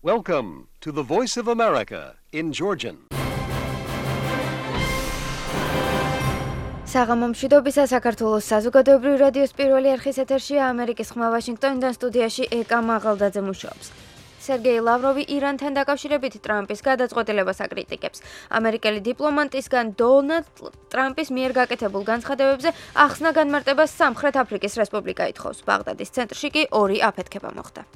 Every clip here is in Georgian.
Welcome to the Voice of America in Georgian. საღამომშვიდობისა საქართველოს საზოგადოებრივი რადიოს პირველი არხის ეთერშია ამერიკის ხმა ვაშინგტონიდან სტუდიაში ეკა მაღალდაძე მუშაობს. სერგეი ლავროვი ირანთან დაკავშირებით ტრამპის გადაწყვეტილებას აკრიტიკებს. ამერიკელი დიპლომატისგან დონალდ ტრამპის მიერ გაკეთებულ განცხადებებზე ახსნა განმარტებას სამხრეთ აფრიკის რესპუბლიკა ითხოვს. ბაღდადის ცენტრში კი ორი აფეთქება მოხდა.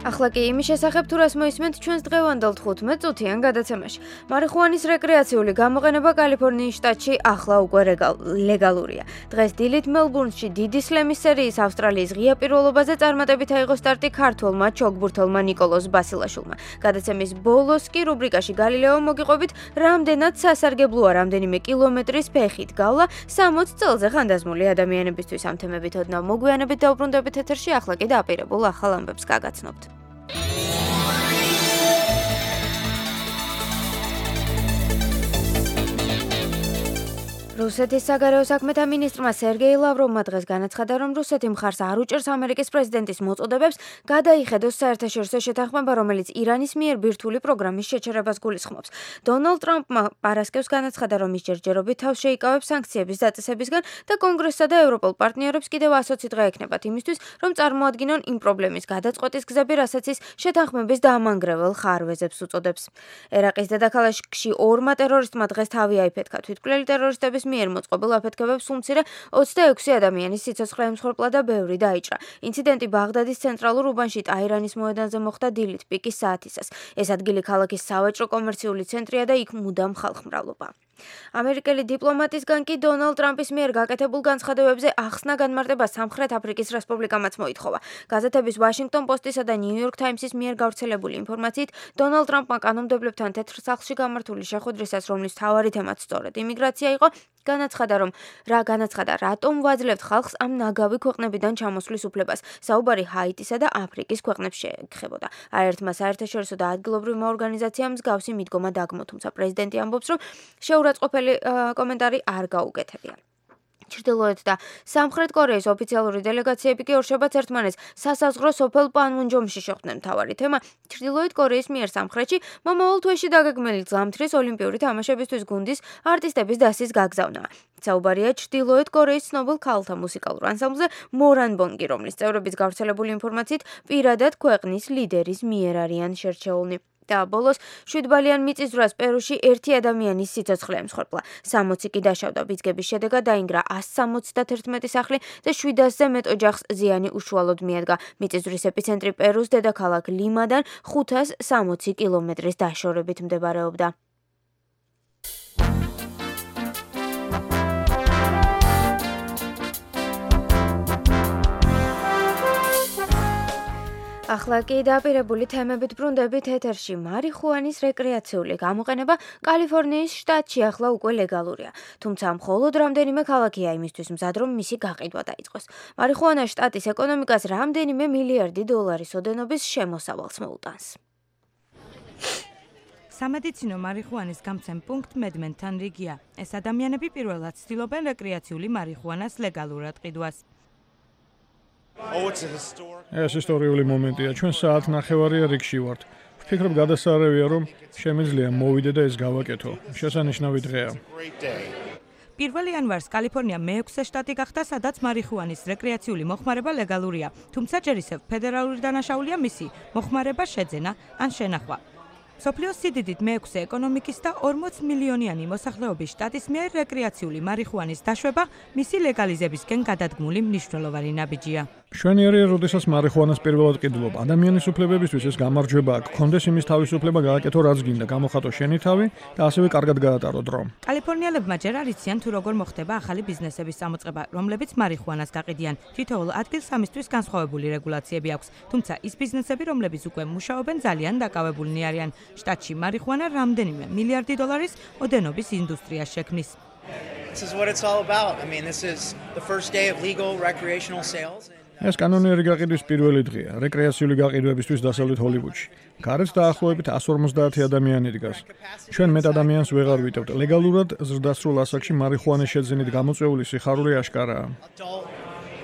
ახლა კი იმის შესახებ თუ რას მოისმენთ ჩვენს დღევანდელ 15 წუთიან გადაცემაში. მარიხუანის რეკრეაციული გამოყენება კალიფორნიის შტატში ახლა უკვე ლეგალურია. დღეს დილით მელბურნში დიდი სლემის სერიის ავსტრალიის ღია პირველობაზე წარმატებით აიღო სტარტი ქართველმა ჩოგბურთელმა ნიკოლოზ ბასილაშვილმა. გადაცემის ბოლოს კი რუბრიკაში გალილეო მოგიყვებით რამდენად სასარგებლოა რამდენიმე კილომეტრის ფეხით გავლა 60 წელზე ხანდაზმული ადამიანებისთვის. ამ თემებით ოდნავ მოგვიანებით დავბრუნდებით ეთერში, ახლა კი დაპირებულ ახალ ამბებს გაგაცნობთ. რუსეთის საგარეო საქმეთა მინისტრმა სერგეი ლავროვმა დღეს განაცხადა, რომ რუსეთი მხარს არ უჭერს ამერიკის პრეზიდენტის მოწოდებებს გადაიხედოს საერთაშორისო შეთანხმება, რომელიც ირანის მიერ ბირთვული პროგრამის შეჩერებას გულისხმობს. დონალდ ტრამპმა პარასკევს განაცხადა, რომ ის ჯერჯერობით თავს შეიკავებს სანქციების დაწესებისგან და კონგრესსა და ევროპულ პარტნიორებს კიდევ 120 დღე ექნებათ იმისთვის, რომ წარმოადგინონ იმ პრობლემის გადაწყვეტის გზები, რასაც ის შეთანხმების დაამანგრეველ ხარვეზებს უწოდებს. ერაყის დედაქალაქში ორმა ტერორისტმა დღეს თავი აიფეთქა. თვითმკვლელი ტერორისტების მიერ მოწყობილ აფეთქებებს უმცირე 26 ადამიანის სიცოცხლე ემსხვერპლა და ბევრი დაიჭრა. ინციდენტი ბაღდადის ცენტრალურ უბანში ტაირანის მოედანზე მოხდა დილით პიკის საათისას. ეს ადგილი ქალაქის სავაჭრო კომერციული ცენტრია და იქ მუდამ ხალხმრავლობა. ამერიკელი დიპლომატისგან კი დონალდ ტრამპის მიერ გაკეთებულ განცხადებებზე ახსნა განმარტება სამხრეთ აფრიკის რესპუბლიკამაც მოითხოვა. გაზეთების ვაშინგტონ პოსტისა და ნიუ-იორკ თაიმსის მიერ გავრცელებული ინფორმაციით, დონალდ ტრამპმა კანონმდებლებთან თეთრ სახლში გამართული შეხვედრისას, რომლის მთავარი თემაც სწორედ იმიგრაცია იყო, განაცხადა, რატომ ვაძლევთ ხალხს ამ ნაგავი ქვეყნებიდან ჩამოსვლის უფლებას. საუბარი ჰაიტისა და აფრიკის ქვეყნებს შეეხებოდა. არაერთმა საერთაშორისო და ადგილობრივმა ორგანიზაციამ მსგავსი მიდგომა დაგმო, თუმცა პრეზიდენტი ამბობს, რომ შეურაცხყოფელი კომენტარი არ გაუკეთებია. ჩრდილოეთ და სამხრეთ კორეის ოფიციალური დელეგაციები კი ორშაბათს ერთმანეთს სასაზღვრო სოფელ პანმუნჯომში შეხვდნენ. მთავარი თემა ჩრდილოეთ კორეის მიერ სამხრეთში მომავალ თვეში დაგეგმილი ზამთრის ოლიმპიური თამაშებისთვის გუნდის არტისტების დასის გაგზავნაა. საუბარია ჩრდილოეთ კორეის ცნობილ ქალთა მუსიკალურ ანსამბლზე მორანბონგი, რომლის წევრების გავრცელებული ინფორმაციით პირადად ქვეყნის ლიდერის მიერ არიან შერჩეულნი. და ბოლოს 7 ბალიან მიწისძვრას პერუში ერთი ადამიანის სიცოცხლე ემსხვერპლა. 60 კი დაშავდა. ბიძგების შედეგად დაინგრა 171 სახლი და 700-ზე მეტ ოჯახს ზიანი უშუალოდ მიადგა. მიწისძვრის ეპიცენტრი პერუს დედაქალაქ ლიმადან 560 კილომეტრის დაშორებით მდებარეობდა. ახლა კი დაპირებული თემებით ბრუნდებით ეთერში. მარიხუანის რეკრეაციული გამოყენება კალიფორნიის შტატში ახლა უკვე ლეგალურია. თუმცა მხოლოდ რამდენიმე ქალაქია იმისთვის მზად, რომ მისი გაყიდვა დაიწყოს. მარიხუანა შტატის ეკონომიკას რამდენიმე მილიარდი დოლარის ოდენობის შემოსავალს მოუტანს. სამედიცინო მარიხუანის გამცემ პუნქტ მედმენთან რიგია. ეს ადამიანები პირველად ცდილობენ რეკრეაციული მარიხუანას ლეგალურად ყიდვას. ეს ისტორიული მომენტია. ჩვენ საათ ნახევარია რიგში ვართ. ვფიქრობ გადასარევია, რომ შემიძლია მოვიდე და ეს გავაკეთო. შესანიშნავი დღეა. 1 იანვარს კალიფორნია მე-6 შტატი გახდა, სადაც მარიხუანის რეკრეაციული მოხმარება ლეგალურია. თუმცა ჯერ ისევ ფედერალური დანაშაულია მისი მოხმარება, შეძენა ან შენახვა. სოფლიოს სიდიდით მე-6 ეკონომიკის და 40 მილიონიანი მოსახლეობის შტატის მიერ რეკრეაციული მარიხუანის დაშვება მისი ლეგალიზებისკენ გადადგმული მნიშვნელოვანი ნაბიჯია. მშვენიერია, როდესაც მარიხუანას პირველად ყიდულობ. ადამიანის უფლებებისთვის ეს გამარჯვება აქვს. გქონდეს იმის თავისუფლება გააკეთო რაც გინდა, გამოხატო შენი თავი და ასევე კარგად გაატარო დრო. კალიფორნიელებმა ჯერ არ იციან თუ როგორ მოხდება ახალი ბიზნესების წამოწყება, რომლებიც მარიხუანას გაყიდიან. თითოეულ ადგილს ამისთვის განსხვავებული რეგულაციები აქვს. თუმცა ის ბიზნესები, რომლებიც უკვე მუშაობენ, ძალიან დაკავებულნი არიან. შტატში მარიხუანა რამდენიმე მილიარდი დოლარის ოდენობის ინდუსტრიას შექმნის. This is what it's all about. I mean, this is the first day of legal recreational sales. ეს კანონიერი გაყიდვის პირველი დღეა რეკრეაციული გაყიდვებისთვის დასავლეთ ჰოლივუდში. გარეთ დაახლოებით 150 ადამიანი დგას. ჩვენ მეტ ადამიანს ვეღარ ვიტევთ. ლეგალურად ზრდასრულ ასაკში მარიხუანის შეძენით გამოწვეული სიხარული აშკარაა.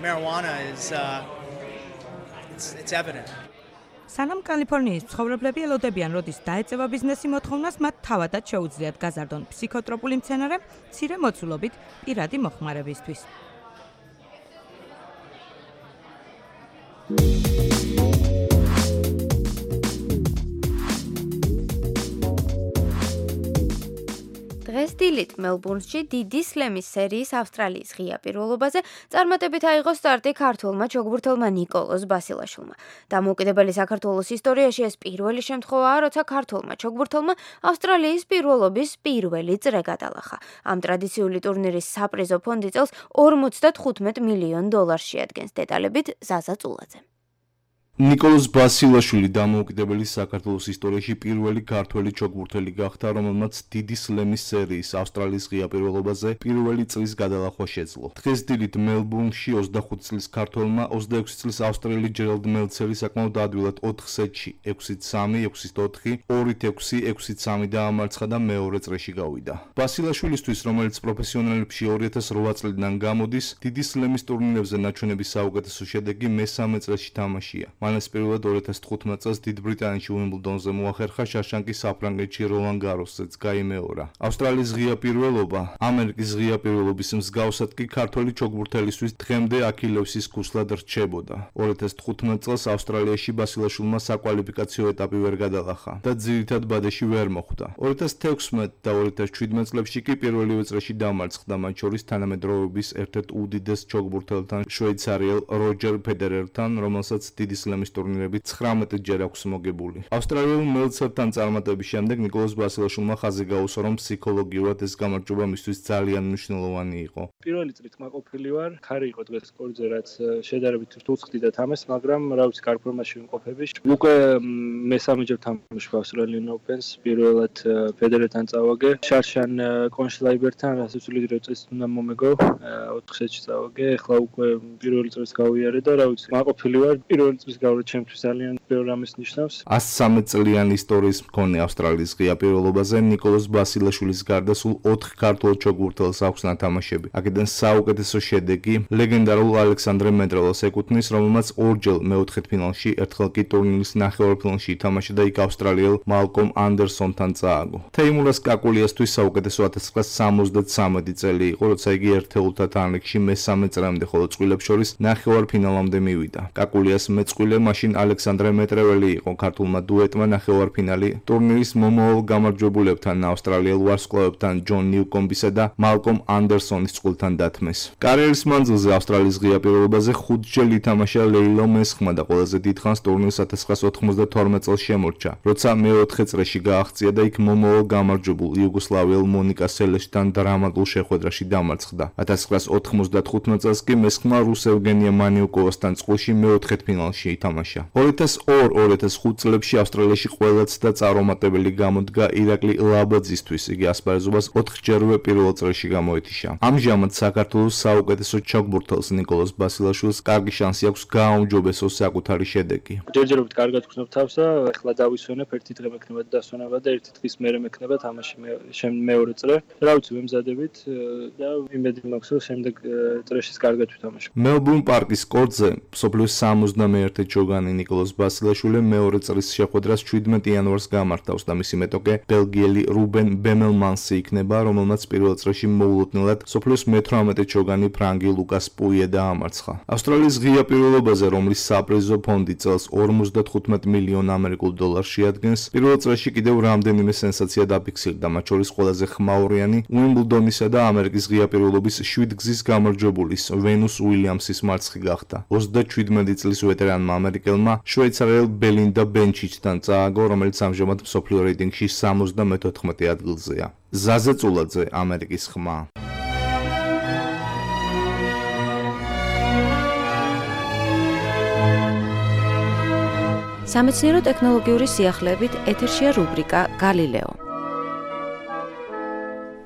marijuana is it's evident. სანამ კალიფორნიის მცხოვრებლები ელოდებიან, როდის დაეწევა ბიზნესი მოთხოვნას, მათ თავადაც შეუძლიათ გაზარდონ ფსიქოტროპული მცენარე მცირე მოცულობით პირადი მოხმარებისთვის. დღეს დილით მელბურნში დიდი სლემის სერიის ავსტრალიის ღია პირველობაზე წარმატებით აიღო სტარტი ქართველმა ჩოგბურთელმა ნიკოლოზ ბასილაშვილმა. დამოუკიდებელი საქართველოს ისტორიაში ეს პირველი შემთხვევაა, როცა ქართველმა ჩოგბურთელმა ავსტრალიის პირველობის პირველი წრე გადალახა. ამ ტრადიციული ტურნირის საპრიზო ფონდი წელს $55 მილიონ შეადგენს. დეტალებით ზაზა წულაძე. ნიკოლოზ ბასილაშვილი დამოუკიდებელი საქართველოს ისტორიაში პირველი ქართველი ჩოგბურთელი გახდა, რომელმაც დიდი სლემის სერიის ავსტრალიის ღია პირველობაზე პირველი წრის გადალახვა შეძლო. დღეს დილით მელბურნში 25 წლის ქართველმა 26 წლის ავსტრიელი ჯერალდ მელცერი საკმაოდ ადვილად 4 სეტში 6-3, 6-4, 2-6, 6-3 დაამარცხა და მეორე წრეში გავიდა. ბასილაშვილისთვის, რომელიც პროფესიონალებში 2008 წლიდან გამოდის, დიდი სლემის ტურნირებზე ნაჩვენების საუკეთესო შედეგი მესამე წრეში თამაშია. მან ეს პირველად 2015 წელს დიდ ბრიტანეთში უიმბლდონზე მოახერხა, შაშანკი საფრანგეთში როლან გაროსზეც გაიმეორა. ავსტრალიის ღია პირველობა, ამერიკის ღია პირველობის მსგავსად კი ქართველი ჩოგბურთელისთვის დღემდე აქილევსის ქუსლად რჩებოდა. 2015 წელს ავსტრალიაში ბასილაშვილმა საკვალიფიკაციო ეტაპი ვერ გადალახა და ძირითად ბადეში ვერ მოხვდა. 2016 და 2017 წლებში კი პირველივე წრეში დამარცხდა, მათ შორის თანამედროვეობის ერთ-ერთ უდიდეს ჩოგბურთელთან, შვეიცარიელ როჯერ ფედერერთან, რომელსაც დიდი სლემის ტურნირები 19 ჯერ აქვს მოგებული. ავსტრალიელ მელცერთან წარმატების შემდეგ ნიკოლოზ ბასილაშვილმა ხაზი გაუსვა, რომ ფსიქოლოგიურად ეს გამარჯვება მისთვის ძალიან მნიშვნელოვანი იყო. პირველი წრით მაყოფილი ვარ, ხარი იყო დღეს სკორზე, რაც შედარებით რთულსხდი და თამეს, მაგრამ რა ვიცი, კარგ ფორმაში ვიმყოფები. უკვე მესამეჯერ თამაშობ ავსტრალიan Opens, პირველად ფედერერთან წავაგე, შარშან კონშლაიბერთან, რასაც უდიდრო წესით უნდა მომეგო, 4 სეტში წავაგე, ახლა უკვე პირველი წრეს გავიარე და რა ვიცი, მაყოფილი ვარ. პირველი წრის გავლა ჩემთვის ძალიან ბევრ რამეს ნიშნავს. 113 წლიანი ისტორიის მქონე ავსტრალიის ღია პირველობაზე ნიკოლოზ ბასილაშვილის გარდა სულ 4 ქართველ ჩოგბურთელს აქვს ნათამაშები. აქედან საუკეთესო შედეგი ლეგენდარულ ალექსანდრე მეტრელას ეკუთვნის, რომელმაც ორჯერ მეოთხედფინალში, ერთხელ კი ტურნირის ნახევარფინალში ითამაშა და იქ ავსტრალიელ მალკომ ანდერსონთან წააგო. თეიმურას კაკულიასთვის საუკეთესო 1973 წელი იყო, როცა იგი ერთეულთა თანრიგში მესამე წრემდე, ხოლო წყვილებს შორის ნახევარფინალამდე მივიდა. კაკულიას მეწყვილე მაშინ ალექსანდრე მეტრეველი იყო. ქართულმა დუეტმა ნახევარფინალი ტურნირის მომავალ გამარჯვებულებთან, ავსტრალიელ ვარსკვლავებთან, ჯონ ნიუკომბისა და მალკომ ანდერსონის წყვილთან დათმეს. კარიერის მანძილზე ავსტრალიის ღია პირველობაზე 5 ჯერ ითამაშა ლეილო მესხმა და ყველაზე დიდხანს ტურნირს 1992 წელს შემორჩა, როცა მეოთხე წრეში გააღწია და იქ მომავალ გამარჯვებულ იუგოსლავიელ მონიკა სელეშთან დრამატულ შეხვედრაში დამარცხდა. 1995 წელს კი მესხმა რუს ევგენია მანიუკოვასთან წყვილში მეოთხედფინალში ითამაშა. 2002-2005 წლებში ავსტრალიაში ყველაც და წარუმატებელი გამოდგა ირაკლი ლაბაძისთვის. იგი ასპარეზობას 4-ჯერვე პირველ წრეში გამოეთიშა. ამჟამად საქართველოს საუკეთესო ჩოგბურთელს ნიკოლოზ ბასილაშვილს კარგი შანსი აქვს გააუმჯობესოს საკუთარი შედეგი. ჯერჯერობით კარგად ვქნებ თავს და ახლა დავისვენებ, ერთი დღე მექნება დასვენება და ერთი დღის მერე მექნება თამაში მეორე წრე. რა ვიცი, ვემზადებით და იმედი მაქვს, რომ შემდეგ წრეშიც კარგად ვთამაშო. მელბურნ პარკის კორტზე მსოფლიოს 71 ჩოგანი ნიკოლოზ ბასილაშვილი მეორე წრის შეხვედრას 17 იანვარს გამართავს და მისი მეტოქე ბელგიელი რუბენ ბემელმანსი იქნება, რომელმაც პირველ წრეში მოულოდნელად მსოფლიოს მე-18 ჩოგანი ფრანგი ლუკას პუიე დაამარცხა. ავსტრალიის ღია პირველობაზე, რომლის საპრიზო ფონდი წელს $55 მილიონ შეადგენს, პირველ წრეში კიდევ რამდენიმე სენსაცია დაფიქსირდა, მათ შორის ყველაზე ხმაურიანი უიმბლდონისა და ამერიკის ღია პირველობის 7 გზის გამარჯვებულის ვენუს უილიამსის მარცხი გახდა. 27 წლის ვეტერანმა ამერიკელმა შვეიცარიელ ბელინდა ბენჩიჩთან წააგო, რომელიც ამჟამად მსოფლიო რეიტინგში 74 ადგილზეა. ზაზა წულაძე, ამერიკის ხმა. სამეცნიერო ტექნოლოგიური სიახლეებით ეთერშია რუბრიკა გალილეო.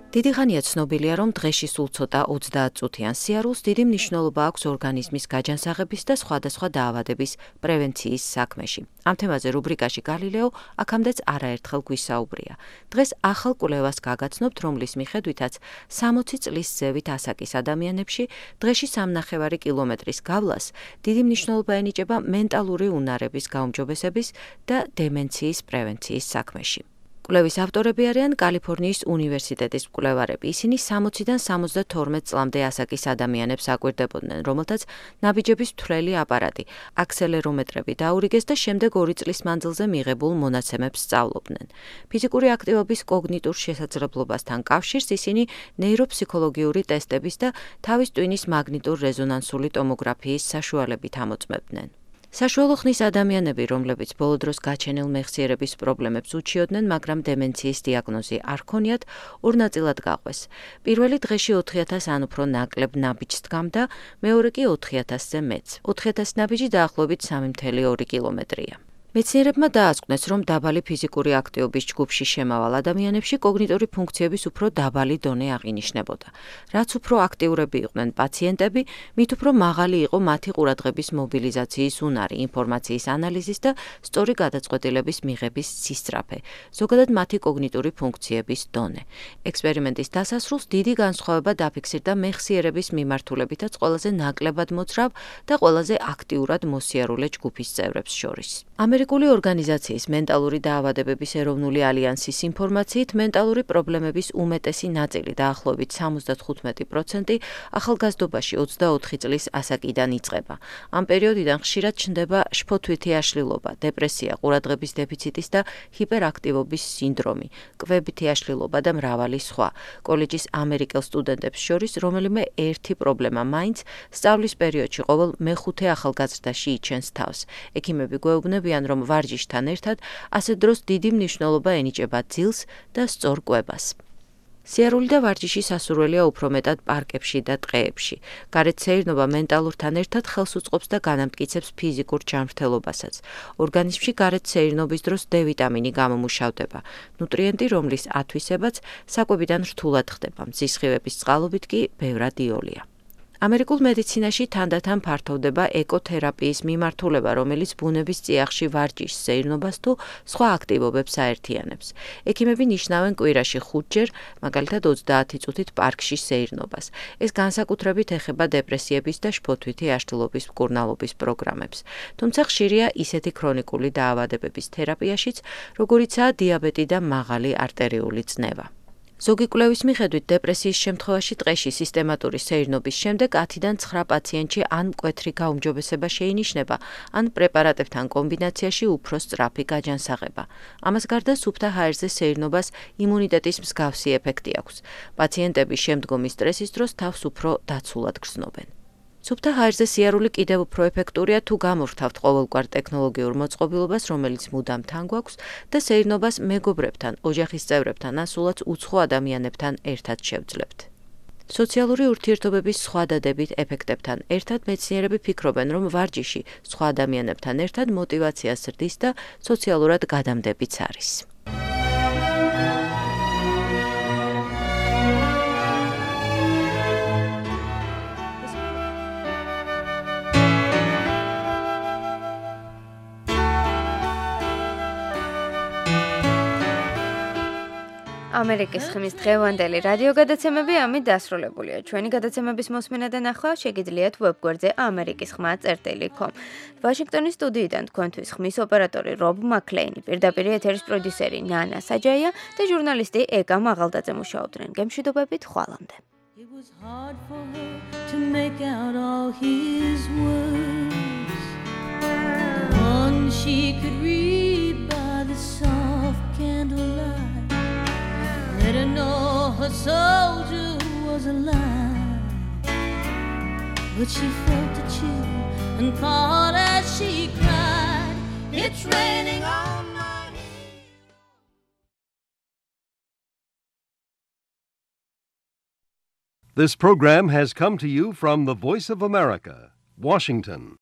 დიდი ხანია ცნობილია, რომ დღეში სულ ცოტა 30 წუთიან სიარულს დიდი მნიშვნელობა აქვს ორგანიზმის გაჯანსაღების და სხვადასხვა დაავადების პრევენციის საქმეში. ამ თემაზე რუბრიკაში გალილეო აქამდეც არაერთხელ გვისაუბრია. დღეს ახალ კვლევას გაგაცნობთ, რომლის მიხედვითაც 60 წლის ზევით ასაკის ადამიანებში დღეში 3,5 კილომეტრის გავლას დიდი მნიშვნელობა ენიჭება მენტალური უნარების გაუმჯობესების და დემენციის პრევენციის საქმეში. კვლევის ავტორები არიან კალიფორნიის უნივერსიტეტის მკვლევარები. ისინი 60-დან 72 წლამდე ასაკის ადამიანებს აკვირდებოდნენ, რომელთაც ნაბიჯების მთლელი აპარატი, აქსელერომეტრები დაურიგეს და შემდეგ 2 წლის მანძილზე მიღებულ მონაცემებს სწავლობდნენ. ფიზიკური აქტივობის კოგნიტურ შესაძლებლობასთან კავშირს ისინი ნეიროფსიქოლოგიური ტესტების და თავის ტვინის მაგნიტურ-რეზონანსული ტომოგრაფიის საშუალებით ამოწმებდნენ. საშუალო ხნის ადამიანები, რომლებიც ბოლო დროს გაჩენილ მეხსიერების პრობლემებს უჩიოდნენ, მაგრამ დემენციის დიაგნოზი არ ჰქონიათ, ორ ნაწილად გაყვეს. პირველი დღეში 4,000 ან უფრო ნაკლებ ნაბიჯს დგამდა, მეორე კი 4,000-ზე მეც. 4,000 ნაბიჯი დაახლოებით 3,2 კილომეტრია. მეცნიერებმა დაასკვნეს, რომ დაბალი ფიზიკური აქტივობის ჯგუფში შემავალ ადამიანებში კოგნიტური ფუნქციების უფრო დაბალი დონე აღინიშნებოდა. რაც უფრო აქტიურები იყვნენ პაციენტები, მით უფრო მაღალი იყო მათი ყურადღების მობილიზაციის უნარი, ინფორმაციის ანალიზის და სწორი გადაწყვეტილების მიღების სისწრაფე, ზოგადად მათი კოგნიტური ფუნქციების დონე. ექსპერიმენტის დასასრულს დიდი განსხვავება დაფიქსირდა მეხსიერების მიმართულებითაც ყველაზე ნაკლებად მოძრავ და ყველაზე აქტიურად მოსიარულე ჯგუფის წევრებს შორის. ამერიკული ორგანიზაციის მენტალური დაავადებების ეროვნული ალიანსის ინფორმაციით, მენტალური პრობლემების უმეტესი ნაწილი, დაახლოებით 75% ახალგაზრდობაში 24 წლის ასაკიდან იწყება. ამ პერიოდიდან ხშირად ჩნდება შფოთვითი აშლილობა, დეპრესია, ყურადღების დეფიციტის და ჰიპერაქტივობის სინდრომი, კვებითი აშლილობა და მრავალი სხვა. კოლეჯის ამერიკელ სტუდენტებს შორის რომელიმე ერთი პრობლემა მაინც სწავლის პერიოდში ყოველ მეხუთე ახალგაზრდაში იჩენს თავს. ექიმები გვეუბნებიან, რომ ვარჯიშთან ერთად ასე დროს დიდი მნიშვნელობა ენიჭება ძილს და სწორ კვებას. სიარული და ვარჯიში სასურველია უფრო მეტად პარკებში და ტყეებში. გარეთ სეირნობა მენტალურთან ერთად ხელს უწყობს და განამტკიცებს ფიზიკურ ჯანმრთელობასაც. ორგანიზმში გარეთ სეირნობის დროს D ვიტამინი გამომუშავდება, ნუტრიენტი, რომლის ათვისებაც საკვებიდან რთულად ხდება, მზისხივების წყალობით კი ბევრად იოლია. ამერიკულ მედიცინაში თანდათან ფართოვდება ეკოთერაპიის მიმართულება, რომელიც ბუნების წიაღში ვარჯიშს, სეირნობას თუ სხვა აქტივობებს აერთიანებს. ექიმები ნიშნავენ კვირაში 5-ჯერ, მაგალითად 30 წუთით პარკში სეირნობას. ეს განსაკუთრებით ეხება დეპრესიების და შფოთვითი აშლილობის მკურნალობის პროგრამებს. თუმცა ხშირია ისეთი ქრონიკული დაავადებების თერაპიაშიც, როგორიცაა დიაბეტი და მაღალი არტერიული წნევა. ზოგი კვლევის მიხედვით დეპრესიის შემთხვევაში ტყეში სისტემატური სეირნობის შემდეგ 10-დან 9 პაციენტში ან მკვეთრი გაუმჯობესება შეინიშნება, ან პრეპარატებთან კომბინაციაში უფრო სწრაფი გაჯანსაღება. ამას გარდა სუფთა ჰაერზე სეირნობას იმუნიტეტის მსგავსი ეფექტი აქვს. პაციენტები შემდგომი სტრესის დროს თავს უფრო დაცულად გრძნობენ. სუფთა ჰაერზე სიარული კიდევ უფრო ეფექტურია თუ გამორთავთ ყოველგვარ ტექნოლოგიურ მოწყობილობას, რომელიც მუდამ თან გვაქვს და სეირნობას მეგობრებთან, ოჯახის წევრებთან, ან სულაც უცხო ადამიანებთან ერთად შევძლებთ. სოციალური ურთიერთობების სხვა დადებით ეფექტებთან ერთად მეცნიერები ფიქრობენ, რომ ვარჯიში სხვა ადამიანებთან ერთად მოტივაციას ზრდის და სოციალურად გადამდებიც არის. ამერიკის ხმის დღევანდელი რადიო გადაცემები ამით დასრულებულია. ჩვენი გადაცემების მოსმენა და ნახვა შეგიძლიათ ვებგვერდზე amerikisxma.com. ვაშინგტონის სტუდიიდან თქვენთვის ხმის ოპერატორი რობ მაკლეინი, პირდაპირ ეთერის პროდიუსერი ნანა საჯაია და ჟურნალისტი ეკა მაღალდაძე მუშაობდნენ. გემშვიდობებით ხვალამდე. It was hard for her to make out all his words. The one she could read by the soft candlelight. Let her know her soldier was alive. But she felt a chill and caught as she cried. It's raining on my head. This program has come to you from the Voice of America, Washington.